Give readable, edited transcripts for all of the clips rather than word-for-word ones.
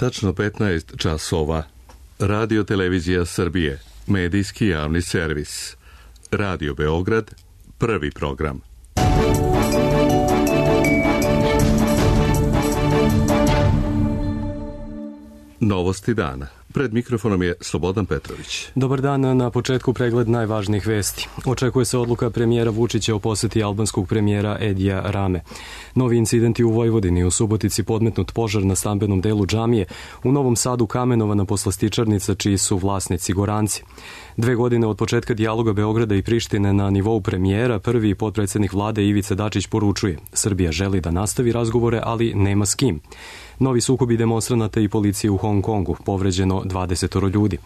Tačno 15 časova. Radio Televizija Srbije. Medijski javni servis. Radio Beograd. Prvi program. Novosti dana. Pred mikrofonom je Slobodan Petrović. Dobar dan, na početku pregled najvažnijih vesti. Očekuje se odluka premijera Vučića o poseti albanskog premijera Edija Rame. Novi incidenti u Vojvodini, u Subotici podmetnut požar na stambenom delu džamije, u Novom Sadu kamenovana poslastičarnica čiji su vlasnici Goranci. 2 godine od početka dijaloga Beograda i Prištine na nivou premijera, prvi potpredsednik vlade Ivica Dačić poručuje: Srbija želi da nastavi razgovore, ali nema s kim. Novi sukobi demonstranata i policije u Hong Kongu, povređeno 20 ljudi.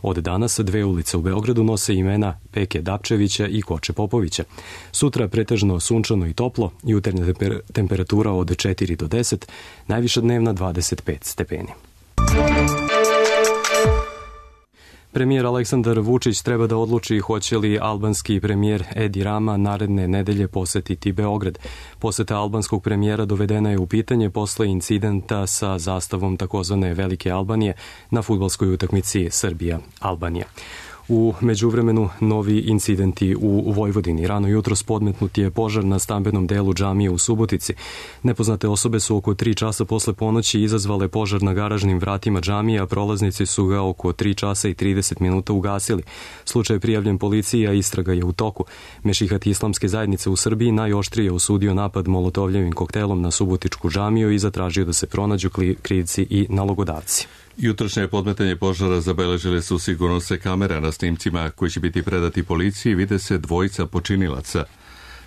Od danas 2 ulice u Beogradu nose imena Peke Dapčevića i Koče Popovića. Sutra pretežno sunčano i toplo, jutarnja temperatura od 4 do 10, najviša dnevna 25 stepeni. Premijer Aleksandar Vučić treba da odluči hoće li albanski premijer Edi Rama naredne nedelje posetiti Beograd. Poseta albanskog premijera dovedena je u pitanje posle incidenta sa zastavom takozvane Velike Albanije na fudbalskoj utakmici Srbija-Albanija. U međuvremenu novi incidenti u Vojvodini. Rano jutros podmetnut je požar na stambenom delu džamije u Subotici. Nepoznate osobe su oko 3 časa posle ponoći izazvale požar na garažnim vratima džamije, a prolaznici su ga oko 3 časa i 30 minuta ugasili. Slučaj je prijavljen policiji, a istraga je u toku. Mešihat islamske zajednice u Srbiji najoštrije osudio napad molotovljevim koktelom na subotičku džamiju i zatražio da se pronađu krivci i nalogodavci. Jutrošnje podmetanje požara zabeležile su sigurnosne kamere. Na snimcima koji će biti predati policiji vide se dvojica počinilaca.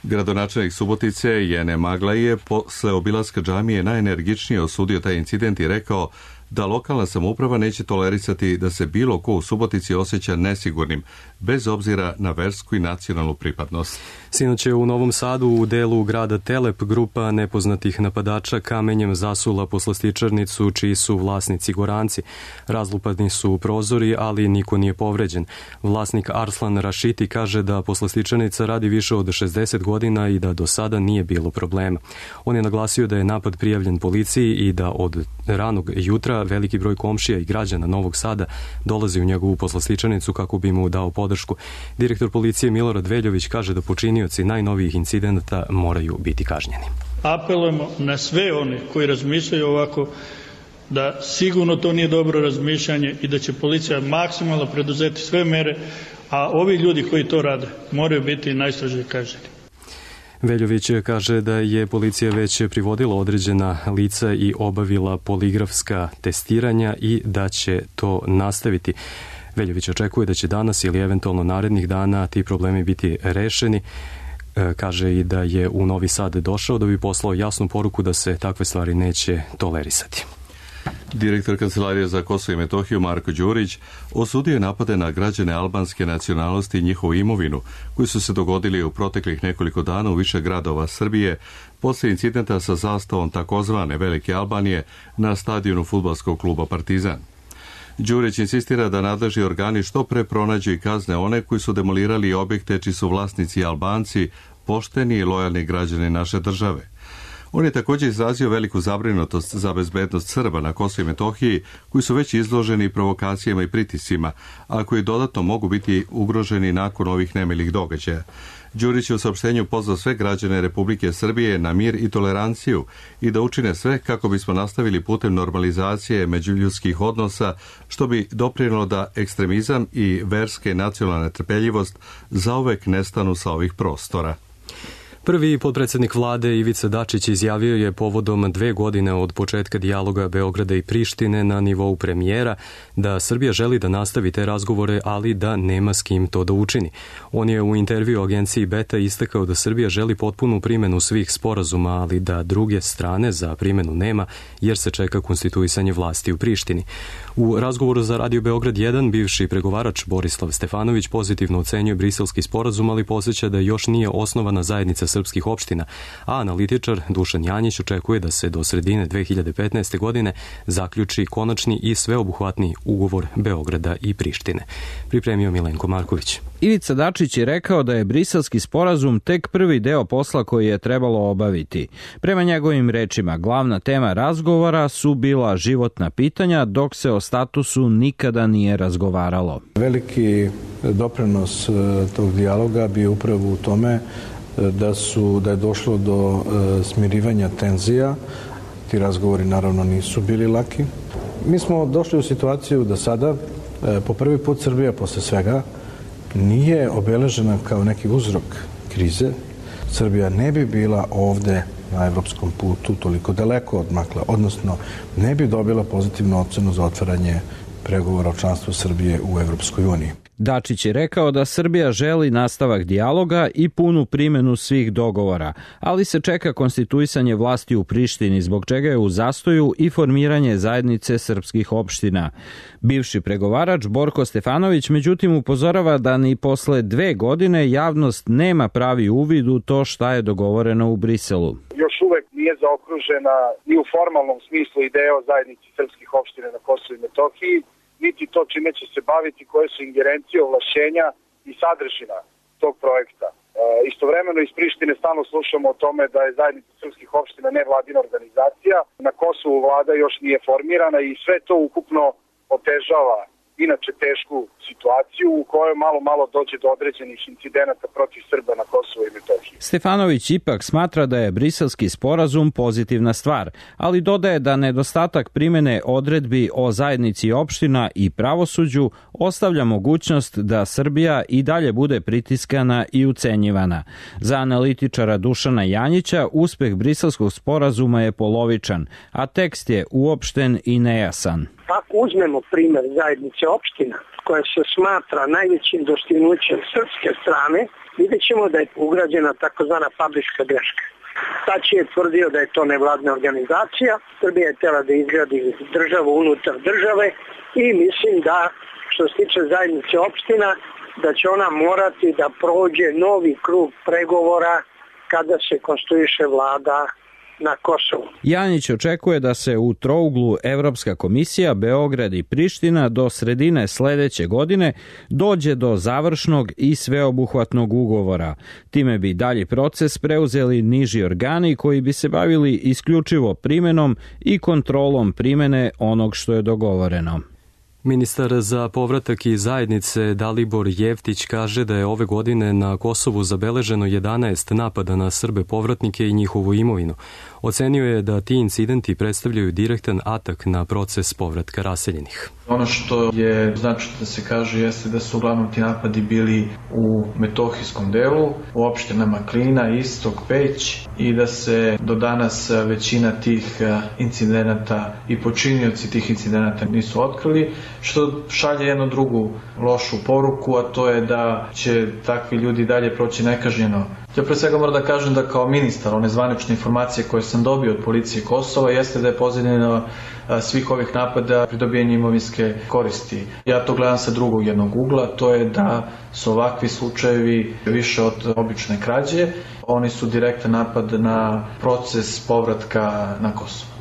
Gradonačelnik Subotice Jene Magla je posle obilaska džamije najenergičnije osudio taj incident i rekao da lokalna samouprava neće tolerisati da se bilo ko u Subotici osjeća nesigurnim, bez obzira na versku i nacionalnu pripadnost. Sinoć je u Novom Sadu u delu grada Telep grupa nepoznatih napadača kamenjem zasula poslastičarnicu čiji su vlasnici Goranci. Razlupani su prozori, ali niko nije povređen. Vlasnik Arslan Rašiti kaže da poslastičarnica radi više od 60 godina i da do sada nije bilo problema. On je naglasio da je napad prijavljen policiji i da od ranog jutra veliki broj komšija i građana Novog Sada dolazi u njegovu poslastičarnicu kako bi mu dao podršku. Direktor policije Milorad Veljović kaže da počinioci najnovijih incidenta moraju biti kažnjeni. Apelujemo na sve one koji razmišljaju ovako da sigurno to nije dobro razmišljanje i da će policija maksimalno preduzeti sve mere, a ovi ljudi koji to rade moraju biti najstrožije kažnjeni. Veljović kaže da je policija već privodila određena lica i obavila poligrafska testiranja i da će to nastaviti. Veljović očekuje da će danas ili eventualno narednih dana ti problemi biti rešeni. Kaže i da je u Novi Sad došao da bi poslao jasnu poruku da se takve stvari neće tolerisati. Direktor Kancelarije za Kosovo i Metohiju Marko Đurić osudio je napade na građane albanske nacionalnosti i njihovu imovinu koji su se dogodili u proteklih nekoliko dana u više gradova Srbije posle incidenta sa zastavom takozvane Velike Albanije na stadionu fudbalskog kluba Partizan. Đurić insistira da nadležni organi što pre pronađu i kazne one koji su demolirali objekte čiji su vlasnici Albanci, pošteni i lojalni građani naše države. On je također izrazio veliku zabrinutost za bezbednost Srba na Kosovu i Metohiji, koji su već izloženi provokacijama i pritiscima, a koji dodatno mogu biti ugroženi nakon ovih nemilih događaja. Đurić je u saopštenju pozvao sve građane Republike Srbije na mir i toleranciju i da učine sve kako bismo nastavili putem normalizacije međuljudskih odnosa, što bi doprinelo da ekstremizam i verska i nacionalna netrpeljivost zauvek nestanu sa ovih prostora. Prvi potpredsednik vlade Ivica Dačić izjavio je povodom 2 godine od početka dijaloga Beograda i Prištine na nivou premijera da Srbija želi da nastavi te razgovore, ali da nema s kim to da učini. On je u intervju agenciji Beta istakao da Srbija želi potpunu primenu svih sporazuma, ali da druge strane za primenu nema, jer se čeka konstituisanje vlasti u Prištini. U razgovoru za Radio Beograd 1 bivši pregovarač Borislav Stefanović pozitivno ocenjuje briselski sporazum, ali podsjeća da još nije osnovana zajednica srpskih opština, a analitičar Dušan Janjić očekuje da se do sredine 2015. godine zaključi konačni i sveobuhvatni ugovor Beograda i Prištine. Pripremio Milenko Marković. Ivica Dačić je rekao da je Briselski sporazum tek prvi deo posla koji je trebalo obaviti. Prema njegovim rečima, glavna tema razgovora su bila životna pitanja, dok se o statusu nikada nije razgovaralo. Veliki doprinos tog dijaloga bio upravo u tome da je došlo do smirivanja tenzija. Ti razgovori naravno nisu bili laki. Mi smo došli u situaciju da sada, po prvi put Srbija posle svega, nije obeležena kao neki uzrok krize. Srbija ne bi bila ovde na evropskom putu toliko daleko odmakla, odnosno ne bi dobila pozitivnu ocenu za otvaranje pregovora o članstvu Srbije u Evropskoj uniji. Dačić je rekao da Srbija želi nastavak dijaloga i punu primenu svih dogovora, ali se čeka konstituisanje vlasti u Prištini, zbog čega je u zastoju i formiranje zajednice srpskih opština. Bivši pregovarač Borko Stefanović međutim upozorava da ni posle 2 godine javnost nema pravi uvid u to šta je dogovoreno u Briselu. Još uvek nije zaokružena ni u formalnom smislu ideja o zajednici srpskih opština na Kosovu i Metohiji, niti to čime će se baviti, koje su ingerencije, ovlašćenja i sadržina tog projekta. Istovremeno iz Prištine stalno slušamo o tome da je zajednica srpskih opština nevladina organizacija. Na Kosovu vlada još nije formirana i sve to ukupno otežava inače tešku situaciju u kojoj malo dođe do određenih incidenata protiv Srba na Kosovu i Metohiji. Stefanović ipak smatra da je Briselski sporazum pozitivna stvar, ali dodaje da nedostatak primene odredbi o zajednici opština i pravosuđu ostavlja mogućnost da Srbija i dalje bude pritiskana i ucenjivana. Za analitičara Dušana Janjića uspeh Briselskog sporazuma je polovičan, a tekst je uopšten i nejasan. Ako uzmemo primer zajednice opština, koja se smatra najvećim dostignućem srpske strane, vidjet ćemo da je ugrađena takozvana fabrička greška. Tač je tvrdio da je to nevladna organizacija, Srbija je htjela da izgradi državu unutar države i mislim da, što se tiče zajednice opština, da će ona morati da prođe novi krug pregovora kada se konstruiše vlada na Kosovu. Janjić očekuje da se u trouglu Evropska komisija, Beograd i Priština do sredine sledeće godine dođe do završnog i sveobuhvatnog ugovora. Time bi dalji proces preuzeli niži organi koji bi se bavili isključivo primenom i kontrolom primene onog što je dogovoreno. Ministar za povratak i zajednice Dalibor Jeftić kaže da je ove godine na Kosovu zabeleženo 11 napada na Srbe povratnike i njihovu imovinu. Ocenio je da ti incidenti predstavljaju direktan atak na proces povratka raseljenih. Ono što je značajno da se kaže jeste da su uglavnom ti napadi bili u metohijskom delu, u opštinama Klina, Istok, Peć i da se do danas većina tih incidenata i počinioci tih incidenata nisu otkrili, što šalje jednu drugu lošu poruku, a to je da će takvi ljudi dalje proći nekažnjeno. Ja pre svega moram da kažem da kao ministar one zvanične informacije koje sam dobio od policije Kosova jeste da je pozadina svih ovih napada pridobijanje imovinske koristi. Ja to gledam sa drugog jednog ugla, to je da su ovakvi slučajevi više od obične krađe. Oni su direktan napad na proces povratka na Kosovo.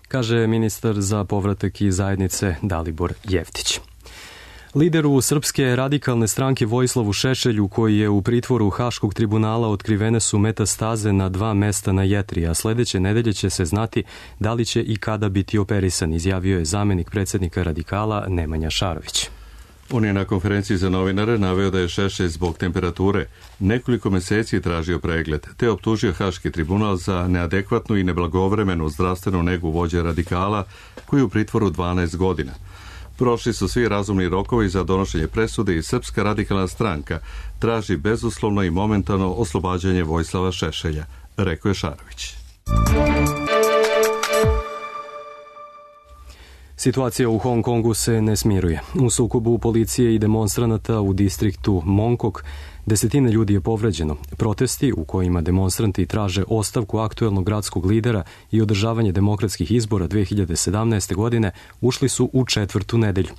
Kaže ministar za povratak i zajednice Dalibor Jeftić. Lideru Srpske radikalne stranke Vojislavu Šešelju, koji je u pritvoru Haškog tribunala, otkrivene su metastaze na 2 mesta na jetri, a sledeće nedelje će se znati da li će i kada biti operisan, izjavio je zamenik predsjednika radikala Nemanja Šarović. On je na konferenciji za novinare naveo da je Šešelj zbog temperature nekoliko meseci tražio pregled, te optužio Haški tribunal za neadekvatnu i neblagovremenu zdravstvenu negu vođe radikala koji je u pritvoru 12 godina. Prošli su svi razumni rokovi za donošenje presude i Srpska radikalna stranka traži bezuslovno i momentalno oslobađanje Vojislava Šešelja, rekao je Šarović. Situacija u Hong Kongu se ne smiruje. U sukobu policije i demonstranata u distriktu Mongkok Desetine ljudi je povređeno. Protesti u kojima demonstranti traže ostavku aktuelnog gradskog lidera i održavanje demokratskih izbora 2017. godine ušli su u 4. nedelju.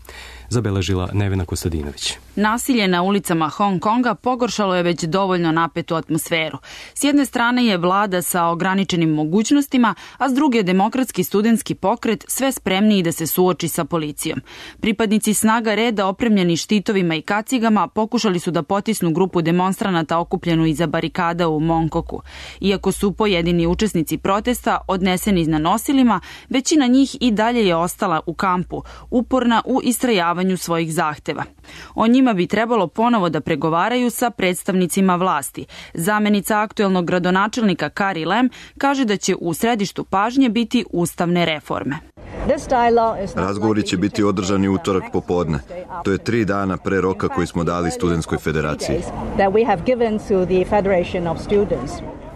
Zabeležila Nevena Kostadinović. Nasilje na ulicama Hong Konga pogoršalo je već dovoljno napetu atmosferu. S jedne strane je vlada sa ograničenim mogućnostima, a s druge demokratski studentski pokret sve spremniji da se suoči sa policijom. Pripadnici snaga reda opremljeni štitovima i kacigama pokušali su da potisnu grupu demonstranata okupljenu iza barikada u Mongkoku. Iako su pojedini učesnici protesta odneseni na nosilima, većina njih i dalje je ostala u kampu, uporna u istrajavanju svojih zahteva. O njima bi trebalo ponovo da pregovaraju sa predstavnicima vlasti. Zamenica aktuelnog gradonačelnika Carrie Lam kaže da će u središtu pažnje biti ustavne reforme. Razgovori će biti održani utorak popodne. To je 3 dana pre roka koji smo dali Studentskoj federaciji.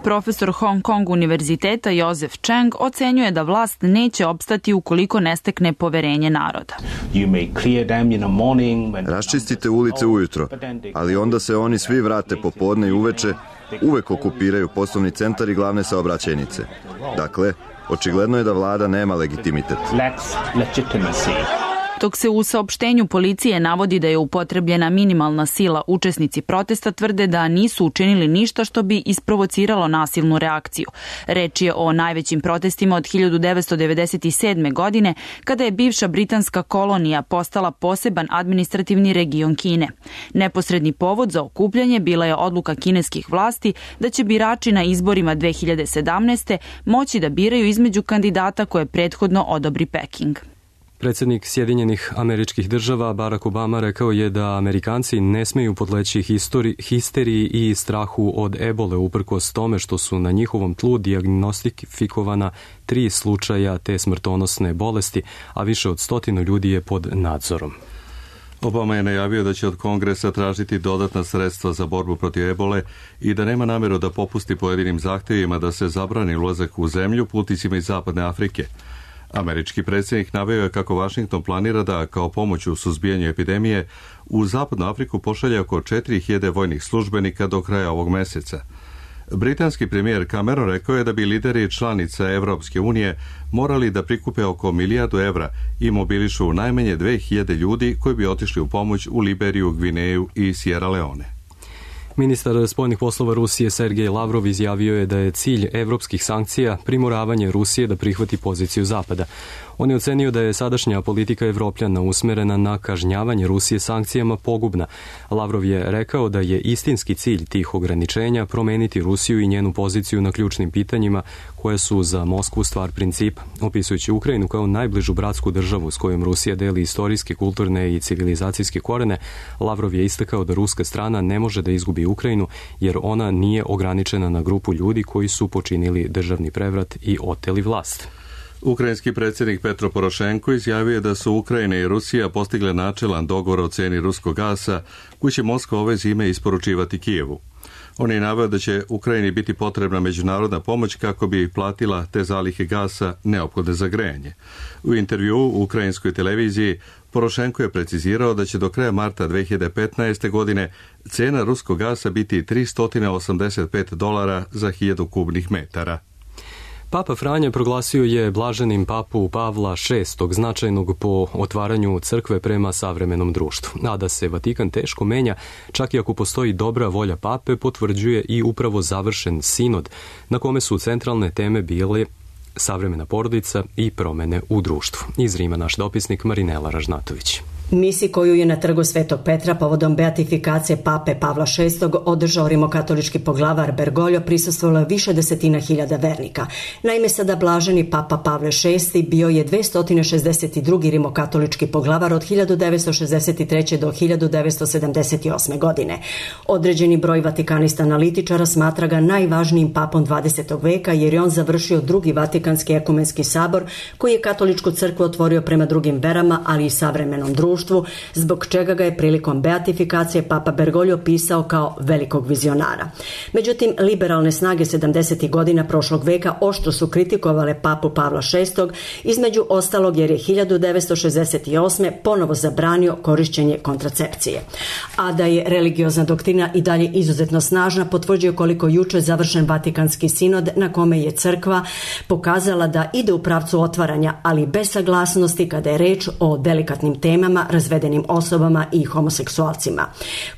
Profesor Hong Kong univerziteta Joseph Cheng ocenjuje da vlast neće opstati ukoliko ne stekne poverenje naroda. Raščistite ulice ujutro, ali onda se oni svi vrate popodne i uveče, uvek okupiraju poslovni centar i glavne saobraćajnice. Dakle, očigledno je da vlada nema legitimitet. Dok se u saopštenju policije navodi da je upotrebljena minimalna sila, učesnici protesta tvrde da nisu učinili ništa što bi isprovociralo nasilnu reakciju. Reč je o najvećim protestima od 1997. godine, kada je bivša britanska kolonija postala poseban administrativni region Kine. Neposredni povod za okupljanje bila je odluka kineskih vlasti da će birači na izborima 2017. moći da biraju između kandidata koje prethodno odobri Peking. Predsjednik Sjedinjenih Američkih Država Barack Obama rekao je da Amerikanci ne smeju podleći histeriji i strahu od ebole uprkos tome što su na njihovom tlu dijagnostifikovana 3 slučaja te smrtonosne bolesti, a više od 100 ljudi je pod nadzorom. Obama je najavio da će od Kongresa tražiti dodatna sredstva za borbu protiv ebole i da nema namjeru da popusti pojedinim zahtjevima da se zabrani ulazak u zemlju putnicima iz Zapadne Afrike. Američki predsjednik naveo je kako Washington planira da kao pomoć u suzbijanju epidemije u Zapadnu Afriku pošalje oko 4.000 vojnih službenika do kraja ovog mjeseca. Britanski premijer Cameron rekao je da bi lideri članica Evropske unije morali da prikupe oko 1 milijardu evra i mobilišu najmanje 2.000 ljudi koji bi otišli u pomoć u Liberiju, Gvineju i Sierra Leone. Ministar spoljnih poslova Rusije Sergej Lavrov izjavio je da je cilj evropskih sankcija primoravanje Rusije da prihvati poziciju Zapada. On je ocenio da je sadašnja politika Evropljana usmerena na kažnjavanje Rusije sankcijama pogubna. Lavrov je rekao da je istinski cilj tih ograničenja promeniti Rusiju i njenu poziciju na ključnim pitanjima koje su za Moskvu stvar principa. Opisujući Ukrajinu kao najbližu bratsku državu s kojom Rusija deli istorijske, kulturne i civilizacijske korene, Lavrov je istakao da ruska strana ne može da izgubi Ukrajinu jer ona nije ograničena na grupu ljudi koji su počinili državni prevrat i oteli vlast. Ukrajinski predsjednik Petro Porošenko izjavio je da su Ukrajina i Rusija postigle načelan dogovor o cijeni ruskog gasa koji će Moskva ove zime isporučivati Kijevu. On je naveo da će Ukrajini biti potrebna međunarodna pomoć kako bi platila te zalihe gasa neophodne za grejanje. U intervjuu u ukrajinskoj televiziji Porošenko je precizirao da će do kraja marta 2015. godine cijena ruskog gasa biti $385 za 1000 kubnih metara. Papa Franja proglasio je blaženim papu Pavla VI, značajnog po otvaranju crkve prema savremenom društvu. A da se Vatikan teško menja, čak i ako postoji dobra volja pape, potvrđuje i upravo završen sinod, na kome su centralne teme bile savremena porodica i promene u društvu. Iz Rima naš dopisnik Marinela Ražnatović. Misi koju je na trgu Svetog Petra povodom beatifikacije pape Pavla VI održao rimokatolički poglavar Bergoglio prisustvovalo više desetina hiljada vernika. Naime, sada blaženi papa Pavle VI bio je 262. rimokatolički poglavar od 1963. do 1978. godine. Određeni broj vatikanista analitičara smatra ga najvažnijim papom 20. veka jer je on završio drugi Vatikanski ekumenski sabor koji je katoličku crkvu otvorio prema drugim verama, ali i savremenom društvu društvu, zbog čega ga je prilikom beatifikacije Papa Bergoglio opisao kao velikog vizionara. Međutim, liberalne snage 70. godina prošlog veka oštro su kritikovale Papu Pavla VI, između ostalog jer je 1968. ponovo zabranio korišćenje kontracepcije. A da je religiozna doktrina i dalje izuzetno snažna potvrđuje koliko juče završen Vatikanski sinod na kome je crkva pokazala da ide u pravcu otvaranja, ali bez saglasnosti kada je reč o delikatnim temama, razvedenim osobama i homoseksualcima.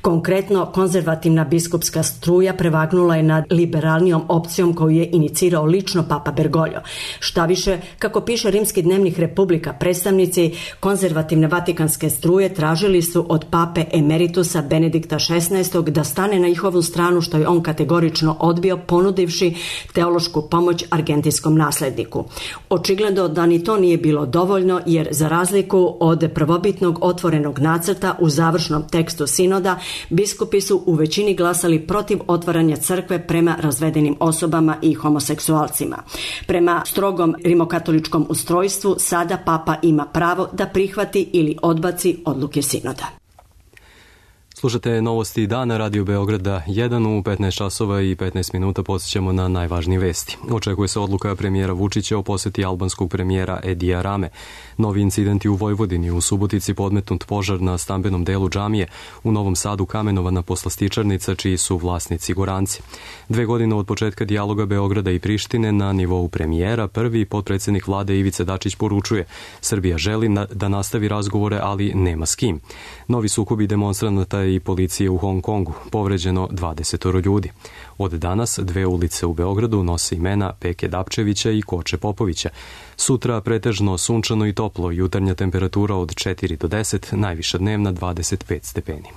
Konkretno, konzervativna biskupska struja prevagnula je nad liberalnijom opcijom koju je inicirao lično Papa Bergoglio. Štaviše, kako piše Rimski dnevnik Republika, predstavnici konzervativne vatikanske struje tražili su od pape emeritusa Benedikta XVI da stane na njihovu stranu, što je on kategorično odbio, ponudivši teološku pomoć argentinskom nasledniku. Očigledno da ni to nije bilo dovoljno, jer za razliku od prvobitnog otvorenog nacrta u završnom tekstu sinoda, biskupi su u većini glasali protiv otvaranja crkve prema razvedenim osobama i homoseksualcima. Prema strogom rimokatoličkom ustrojstvu sada papa ima pravo da prihvati ili odbaci odluke sinoda. Slušate novosti dana Radio Beograda 1 u 15 časova i 15 minuta. Podsjećamo na najvažnije vesti. Očekuje se odluka premijera Vučića o poseti albanskog premijera Edija Rame. Novi incidenti u Vojvodini, u Subotici podmetnut požar na stambenom delu džamije, u Novom Sadu kamenovana poslastičarnica čiji su vlasnici Goranci. 2 godine od početka dijaloga Beograda i Prištine na nivou premijera, prvi potpredsjednik vlade Ivica Dačić poručuje: Srbija želi da nastavi razgovore, ali nema s kim. Novi sukobi demonstranata i policije u Hong Kongu, povređeno 20 ljudi. Od danas 2 ulice u Beogradu nose imena Peke Dapčevića i Koče Popovića. Sutra pretežno sunčano i toplo, jutarnja temperatura od 4 do 10, najviša dnevna 25 stepeni.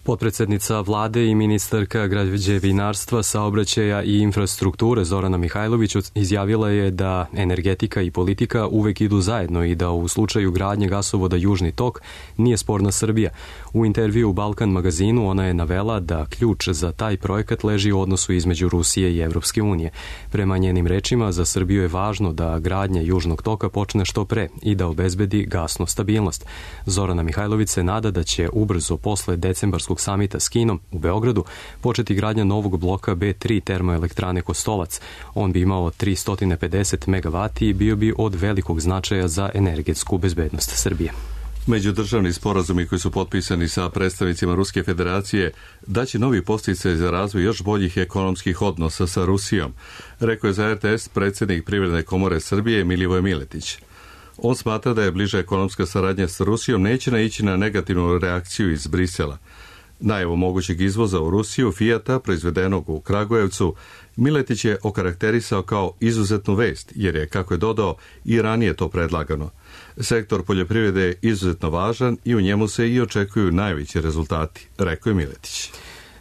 Potpredsjednica vlade i ministarka građevinarstva, saobraćaja i infrastrukture Zorana Mihajlović izjavila je da energetika i politika uvek idu zajedno i da u slučaju gradnje gasovoda Južni tok nije sporna Srbija. U intervju u Balkan magazinu ona je navela da ključ za taj projekat leži u odnosu između Rusije i Evropske unije. Prema njenim rečima, za Srbiju je važno da gradnja Južnog toka počne što pre i da obezbedi gasnu stabilnost. Zorana Mihajlović se nada da će ubrzo posle decembarskog samita s Kinom u Beogradu početi gradnja novog bloka B3 termoelektrane Kostolac. On bi imao 350 MW i bio bi od velikog značaja za energetsku bezbednost Srbije. Međudržavni sporazumi koji su potpisani sa predstavnicima Ruske federacije daće novi podsticaj za razvoj još boljih ekonomskih odnosa sa Rusijom, rekao je za RTS predsjednik Privredne komore Srbije Milivoje Miletić. On smatra da je bliža ekonomska saradnja sa Rusijom neće naići na negativnu reakciju iz Brisela. Najavu mogućeg izvoza u Rusiju Fijata, proizvedenog u Kragujevcu, Miletić je okarakterisao kao izuzetnu vest, jer je, kako je dodao, i ranije to predlagano. Sektor poljoprivrede je izuzetno važan i u njemu se i očekuju najveći rezultati, rekao je Miletić.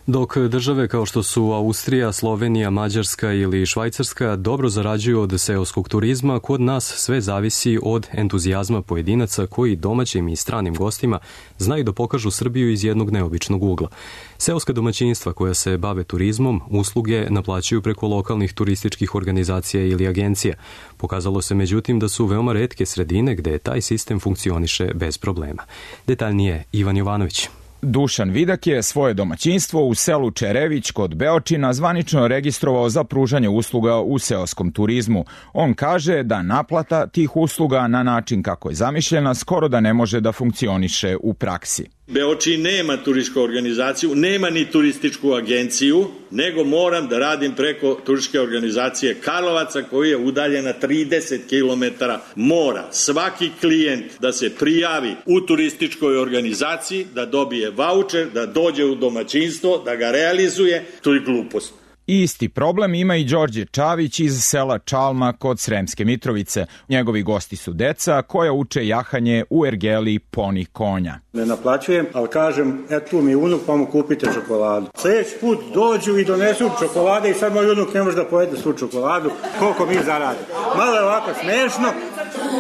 Dok države kao što su Austrija, Slovenija, Mađarska ili Švajcarska dobro zarađuju od seoskog turizma, kod nas sve zavisi od entuzijazma pojedinaca koji domaćim i stranim gostima znaju da pokažu Srbiju iz jednog neobičnog ugla. Seoska domaćinstva koja se bave turizmom usluge naplaćuju preko lokalnih turističkih organizacija ili agencija. Pokazalo se međutim da su veoma retke sredine gde taj sistem funkcioniše bez problema. Detaljnije Ivan Jovanović. Dušan Vidak je svoje domaćinstvo u selu Čerević kod Beočina zvanično registrovao za pružanje usluga u seoskom turizmu. On kaže da naplata tih usluga na način kako je zamišljena skoro da ne može da funkcioniše u praksi. Beočin nema turističku organizaciju, nema ni turističku agenciju, nego moram da radim preko turističke organizacije Karlovaca koji je udaljena 30 km mora. Svaki klijent da se prijavi u turističkoj organizaciji, da dobije vaučer, da dođe u domaćinstvo, da ga realizuje, to je glupost. Isti problem ima i Đorđe Čavić iz sela Čalma kod Sremske Mitrovice. Njegovi gosti su deca koja uče jahanje u ergeli poni konja. Ne naplaćujem, ali kažem, eto mi unuk pa mu kupite čokoladu. Sljedeći put dođu i donesu čokolade i sad moj unuk ne može da pojede svu čokoladu. Koliko mi zaradi. Malo je ovako smešno,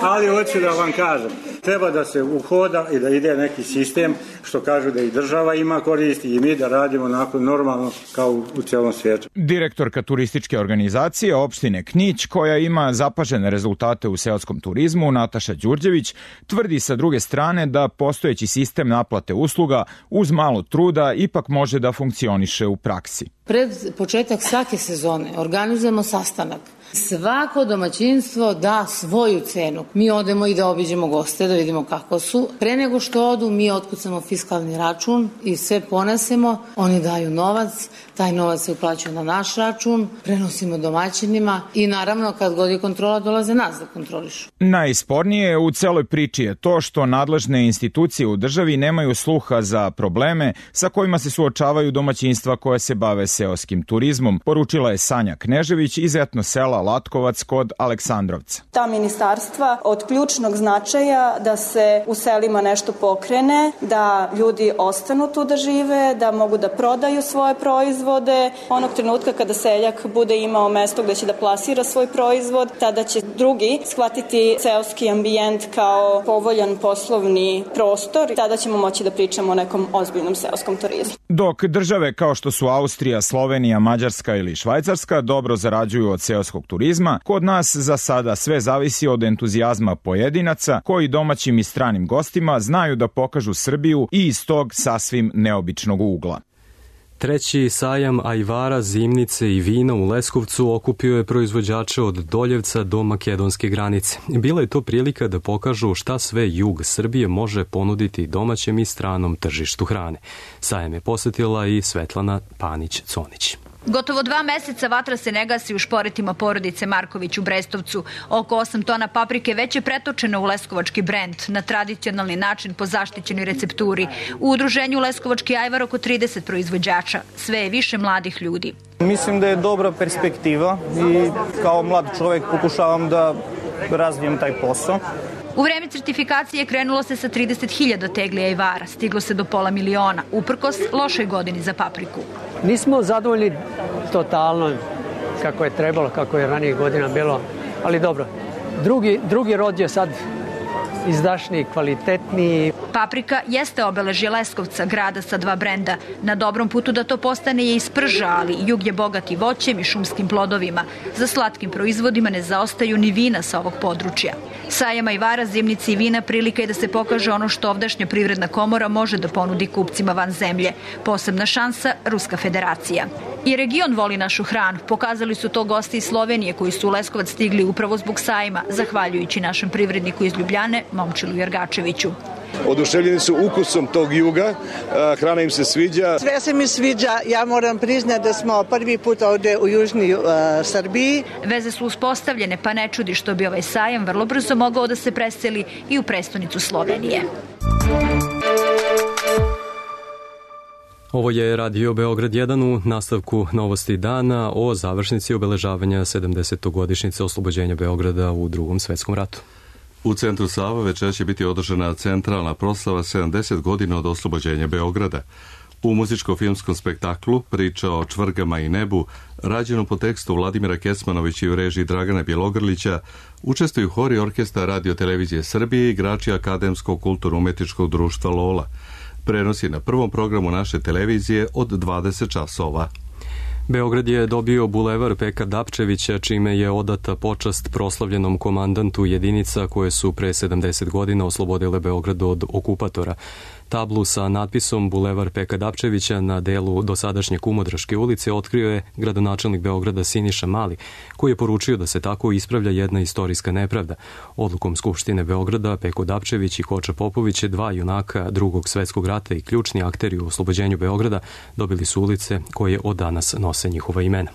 ali hoću da vam kažem. treba da se uhoda i da ide neki sistem, što kažu da i država ima koristi i mi da radimo onako normalno kao u cijelom svijetu. Direktorka turističke organizacije opštine Knić, koja ima zapažene rezultate u seoskom turizmu, Nataša Đurđević, tvrdi sa druge strane da postojeći sistem naplate usluga uz malo truda ipak može da funkcioniše u praksi. Pred početak svake sezone organizujemo sastanak. Svako domaćinstvo da svoju cenu. Mi odemo i da obiđemo goste, da vidimo kako su. Pre nego što odu, mi otkucamo fiskalni račun i sve ponesemo. Oni daju novac, taj novac se uplaćuje na naš račun, prenosimo domaćinima i naravno kad god je kontrola dolaze nas da kontrolišu. Najspornije u celoj priči je to što nadležne institucije u državi nemaju sluha za probleme sa kojima se suočavaju domaćinstva koje se bave seoskim turizmom, poručila je Sanja Knežević iz etno sela Latkovac kod Aleksandrovca. Ta ministarstva od ključnog značaja da se u selima nešto pokrene, da ljudi ostanu tu da žive, da mogu da prodaju svoje proizvode. Onog trenutka kada seljak bude imao mesto gde će da plasira svoj proizvod, tada će drugi shvatiti seoski ambijent kao povoljan poslovni prostor. Tada ćemo moći da pričamo o nekom ozbiljnom seoskom turizmu. Dok države kao što su Austrija, Slovenija, Mađarska ili Švajcarska dobro zarađuju od seoskog turizma, kod nas za sada sve zavisi od entuzijazma pojedinaca koji domaćim i stranim gostima znaju da pokažu Srbiju i iz tog sasvim neobičnog ugla. Treći sajam ajvara, zimnice i vina u Leskovcu okupio je proizvođače od Doljevca do makedonske granice. Bila je to prilika da pokažu šta sve jug Srbije može ponuditi domaćem i stranom tržištu hrane. Sajam je posetila i Svetlana Panić-Conić. Gotovo 2 meseca vatra se ne gasi u šporetima porodice Marković u Brestovcu. Oko 8 tona paprike već je pretočeno u leskovački brend na tradicionalni način po zaštićenoj recepturi. U udruženju Leskovački ajvar oko 30 proizvođača. Sve je više mladih ljudi. Mislim da je dobra perspektiva i kao mlad čovjek pokušavam da razvijem taj posao. U vreme certifikacije krenulo se sa 30.000 tegli ajvara, stiglo se do pola miliona, uprkos lošoj godini za papriku. Nismo zadovoljni totalno kako je trebalo, kako je ranije godina bilo, ali dobro. Drugi rod je sad izdašniji, kvalitetniji. Paprika jeste obeležje Leskovca, grada sa 2 brenda. Na dobrom putu da to postane je i sprža, ali jug je bogat i voćem i šumskim plodovima. Za slatkim proizvodima ne zaostaju ni vina sa ovog područja. Sajam ajvara, zimnici i vina prilika je da se pokaže ono što ovdašnja privredna komora može da ponudi kupcima van zemlje. Posebna šansa Ruska federacija. I region voli našu hranu. Pokazali su to gosti iz Slovenije koji su u Leskovac stigli upravo zbog sajma, zahvaljujući našem privredniku iz Ljubljane, Momčilu Jergačeviću. Oduševljeni su ukusom tog juga, hrana im se sviđa. Sve se mi sviđa, ja moram priznati da smo prvi put ovde u južnoj Srbiji. Veze su uspostavljene, pa ne čudi što bi ovaj sajam vrlo brzo mogao da se preseli i u prestonicu Slovenije. Ovo je Radio Beograd 1 u nastavku novosti dana o završnici obeležavanja 70. godišnjice oslobođenja Beograda u Drugom svetskom ratu. U centru Sava večera će biti održana centralna proslava 70 godina od oslobođenja Beograda. U muzičko-filmskom spektaklu Priča o čvrgama i nebu, rađenom po tekstu Vladimira Kecmanovića i u režiji Dragana Bjelogrlića, učestvuju hor i orkestar Radio televizije Srbije i igrači Akademskog kulturno-umetničkog društva Lola. Prenos je na prvom programu naše televizije od 20 časova. Beograd je dobio bulevar Peka Dapčevića, čime je odata počast proslavljenom komandantu jedinica koje su pre 70 godina oslobodile Beograd od okupatora. Tablu sa natpisom Bulevar Peka Dapčevića na delu dosadašnje Kumodraške ulice otkrio je gradonačelnik Beograda Siniša Mali, koji je poručio da se tako ispravlja jedna istorijska nepravda. Odlukom Skupštine Beograda Peko Dapčević i Koča Popović, 2 junaka Drugog svetskog rata i ključni akteri u oslobođenju Beograda, dobili su ulice koje od danas nose njihova imena.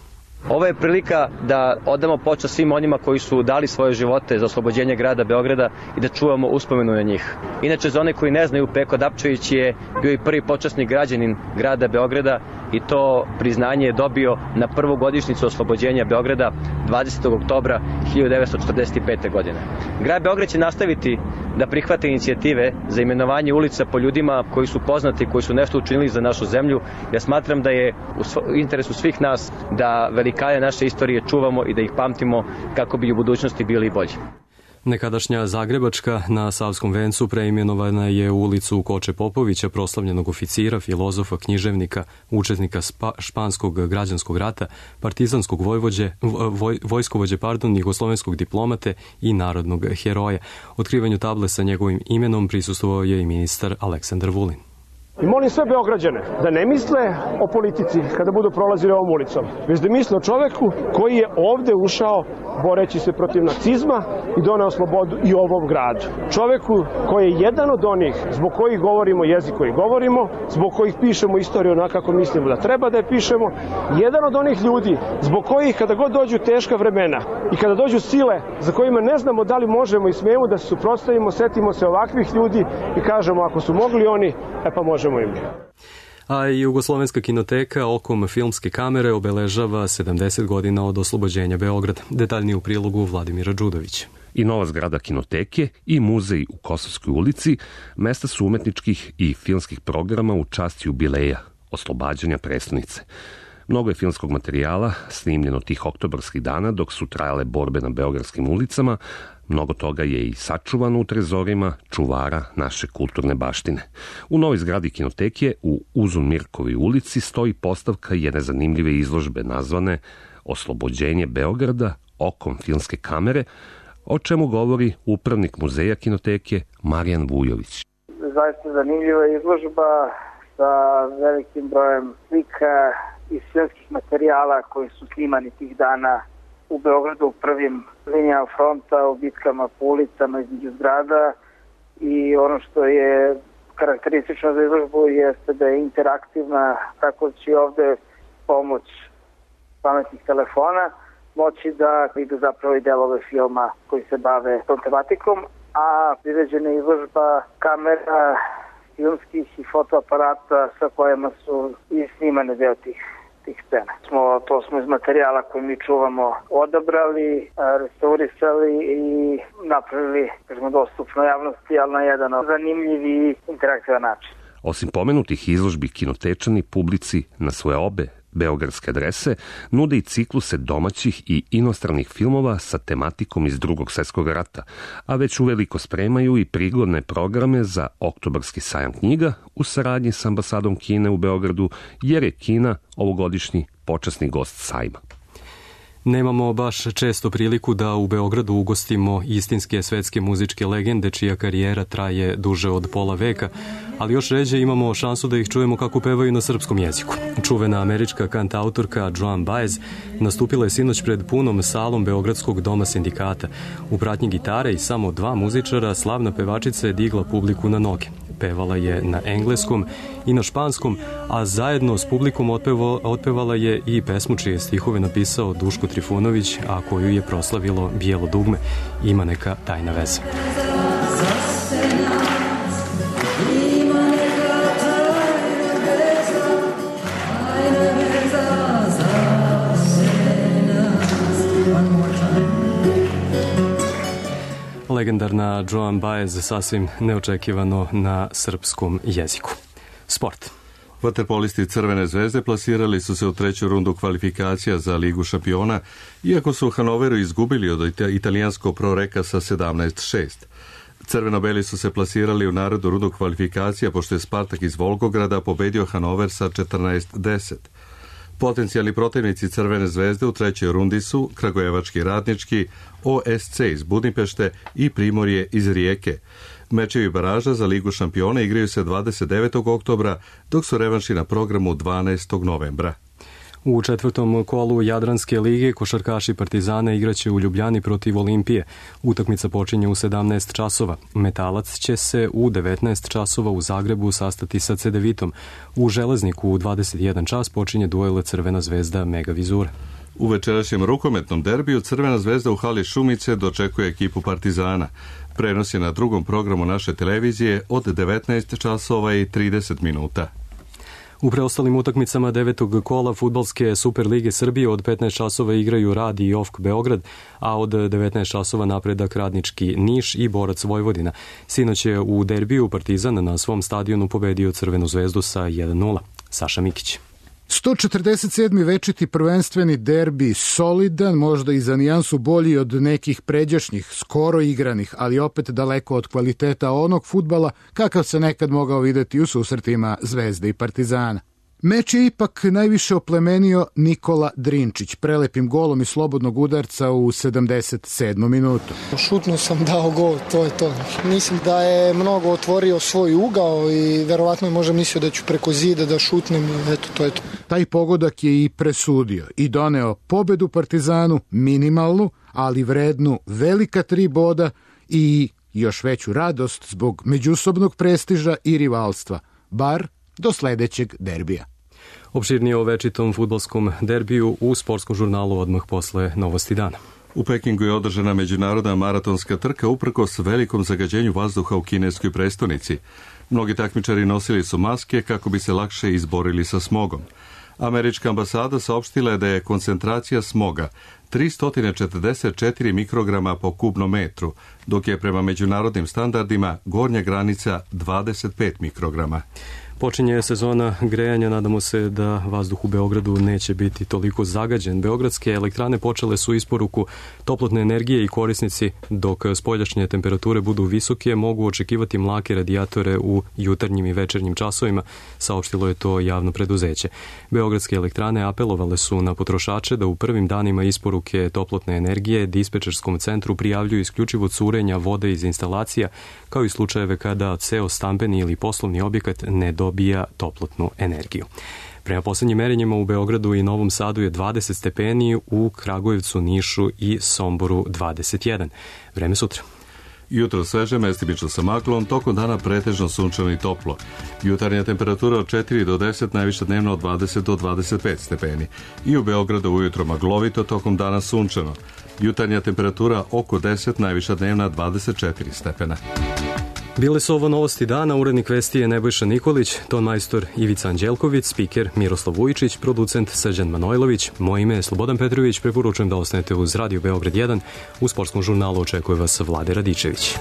Ovo je prilika da odamo počast svim onima koji su dali svoje živote za oslobođenje grada Beograda i da čuvamo uspomenu na njih. Inače, za one koji ne znaju, Peko Dapčević je bio i prvi počasni građanin grada Beograda i to priznanje je dobio na prvu godišnjicu oslobođenja Beograda 20. oktobra 1945. godine. Grad Beograd će nastaviti da prihvate inicijative za imenovanje ulica po ljudima koji su poznati, koji su nešto učinili za našu zemlju. Ja smatram da je u interesu svih nas da velikane naše istorije čuvamo i da ih pamtimo kako bi u budućnosti bili bolji. Nekadašnja Zagrebačka na Savskom vencu preimenovana je u ulicu Koče Popovića, proslavljenog oficira, filozofa, književnika, učesnika španskog građanskog rata, partizanskog vojskovođe, jugoslovenskog diplomate i narodnog heroja. Otkrivanju table sa njegovim imenom prisustvovao je i ministar Aleksandar Vulin. I molim sve Beograđane da ne misle o politici kada budu prolazili ovom ulicom, već da misle o čoveku koji je ovde ušao boreći se protiv nacizma i doneo slobodu i ovom gradu. Čoveku koji je jedan od onih zbog kojih govorimo jezik koji govorimo, zbog kojih pišemo istoriju onako kako mislimo da treba da je pišemo, jedan od onih ljudi zbog kojih kada god dođu teška vremena i kada dođu sile za kojima ne znamo da li možemo i smijemo da se suprotstavimo, setimo se ovakvih ljudi i kažemo ako su mogli oni, pa možemo i mi. A i Jugoslovenska kinoteka okom filmske kamere obeležava 70 godina od oslobođenja Beograda. Detaljnije u prilogu Vladimira Đudovića. I nova zgrada kinoteke i muzej u Kosovskoj ulici mesta su umetničkih i filmskih programa u čast jubileja oslobađanja prestonice. Mnogo je filmskog materijala snimljeno tih oktobarskih dana dok su trajale borbe na beogradskim ulicama. Mnogo toga je i sačuvano u trezorima čuvara naše kulturne baštine. U novoj zgradi kinoteke u Uzun Mirkovoj ulici stoji postavka jedne zanimljive izložbe nazvane Oslobođenje Beograda okom filmske kamere, o čemu govori upravnik muzeja kinoteke Marijan Vujović. Zaista zanimljiva izložba sa velikim brojem slika i filmskih materijala koji su snimani tih dana u Beogradu u prvim linijama fronta, u bitkama po ulicama između zgrada, i ono što je karakteristično za izložbu jeste da je interaktivna, tako da će ovde pomoć pametnih telefona moći da vidu zapravo i delove filma koji se bave tom tematikom, a priređena je izložba kamera, filmskih i fotoaparata sa kojima su i snimane deo tih scena. To smo iz materijala koji mi čuvamo odabrali, restaurisali i napravili, dostupno javnosti, ali na jedan zanimljiv i interaktivan način. Osim pomenutih izložbi, kinotečani publici na svoje obe beogradske adrese nude i cikluse domaćih i inostranih filmova sa tematikom iz Drugog svjetskog rata, a već uveliko spremaju i prigodne programe za oktobarski sajam knjiga u saradnji s ambasadom Kine u Beogradu, jer je Kina ovogodišnji počasni gost sajma. Nemamo baš često priliku da u Beogradu ugostimo istinske svetske muzičke legende čija karijera traje duže od pola veka, ali još ređe imamo šansu da ih čujemo kako pevaju na srpskom jeziku. Čuvena američka kantautorka Joan Baez nastupila je sinoć pred punom salom Beogradskog doma sindikata. U pratnji gitare i samo 2 muzičara slavna pevačica je digla publiku na noge. Pevala je na engleskom i na španskom, a zajedno s publikom otpevala je i pesmu čije stihove napisao Duško Trifunović, a koju je proslavilo Bijelo dugme. Ima neka tajna veza. Legendarna Joan Baez sasvim neočekivano na srpskom jeziku. Sport. Vaterpolisti Crvene zvezde plasirali su se u 3. rundu kvalifikacija za Ligu šampiona, iako su u Hanoveru izgubili od italijanskog Proreka sa 17-6. Crveno-beli su se plasirali u narodnu rundu kvalifikacija pošto je Spartak iz Volgograda pobedio Hanover sa 14-10. Potencijalni protivnici Crvene zvezde u 3. rundi su Kragujevački Radnički, OSC iz Budimpešte i Primorje iz Rijeke. Mečevi baraža za Ligu šampiona igraju se 29. oktobra, dok su revanši na programu 12. novembra. U 4. kolu Jadranske lige košarkaši Partizana igraće u Ljubljani protiv Olimpije. Utakmica počinje u 17 časova. Metalac će se u 19 časova u Zagrebu sastati sa Cedevitom. U Železniku u 21 čas počinje duel Crvena zvezda Megavizura. U večerašnjem rukometnom derbiju Crvena zvezda u hali Šumice dočekuje ekipu Partizana. Prenos je na drugom programu naše televizije od 19 časova i 30 minuta. U preostalim utakmicama 9. kola Fudbalske Super lige Srbije od 15 časova igraju Rad i OFK Beograd, a od 19 časova Napredak Radnički Niš i Borac Vojvodina. Sinoć je u derbiju Partizan na svom stadionu pobedio Crvenu zvezdu sa 1-0. Saša Mikić. 147. večiti prvenstveni derbi, solidan, možda i za nijansu bolji od nekih pređašnjih, skoro igranih, ali opet daleko od kvaliteta onog fudbala kakav se nekad mogao videti u susretima Zvezde i Partizana. Meč je ipak najviše oplemenio Nikola Drinčić, prelepim golom iz slobodnog udarca u 77. minutu. Šutno sam dao gol, to je to. Mislim da je mnogo otvorio svoj ugao i verovatno je možda mislio da ću preko zida da šutnem i eto, to je to. Taj pogodak je i presudio i doneo pobedu Partizanu, minimalnu, ali vrednu velika 3 boda i još veću radost zbog međusobnog prestiža i rivalstva, bar do sledećeg derbija. Opširnije o večitom fudbalskom derbiju u sportskom žurnalu odmah posle Novosti dana. U Pekingu je održana međunarodna maratonska trka uprkos velikom zagađenju vazduha u kineskoj prestonici. Mnogi takmičari nosili su maske kako bi se lakše izborili sa smogom. Američka ambasada saopštila je da je koncentracija smoga 344 mikrograma po kubnom metru, dok je prema međunarodnim standardima gornja granica 25 mikrograma. Počinje sezona grejanja, nadamo se da vazduh u Beogradu neće biti toliko zagađen. Beogradske elektrane počele su isporuku toplotne energije i korisnici, dok spoljašnje temperature budu visoke, mogu očekivati mlake radijatore u jutarnjim i večernjim časovima, saopštilo je to javno preduzeće. Beogradske elektrane apelovale su na potrošače da u prvim danima isporuke toplotne energije dispečerskom centru prijavljuju isključivo curenja vode iz instalacija, kao i slučajeve kada ceo stambeni ili poslovni objekat ne dobija toplotnu energiju. Prema poslednjim merenjima u Beogradu i Novom Sadu je 20 stepeni, u Kragujevcu, Nišu i Somboru 21. Vreme sutra. Jutro sveže, mestimično sa maglom, tokom dana pretežno sunčano i toplo. Jutarnja temperatura od 4 do 10, najviša dnevno od 20 do 25 stepeni. I u Beogradu ujutro maglovito, tokom dana sunčano. Jutarnja temperatura oko 10, najviša dnevna 24 stepena. Bile su ovo Novosti dana, urednik vesti je Nebojša Nikolić, ton majstor Ivica Anđelković, spiker Miroslav Vujičić, producent Srđan Manojlović, moje ime je Slobodan Petrović, preporučujem da ostanete uz Radio Beograd 1, u sportskom žurnalu očekuje vas Vlade Radičević.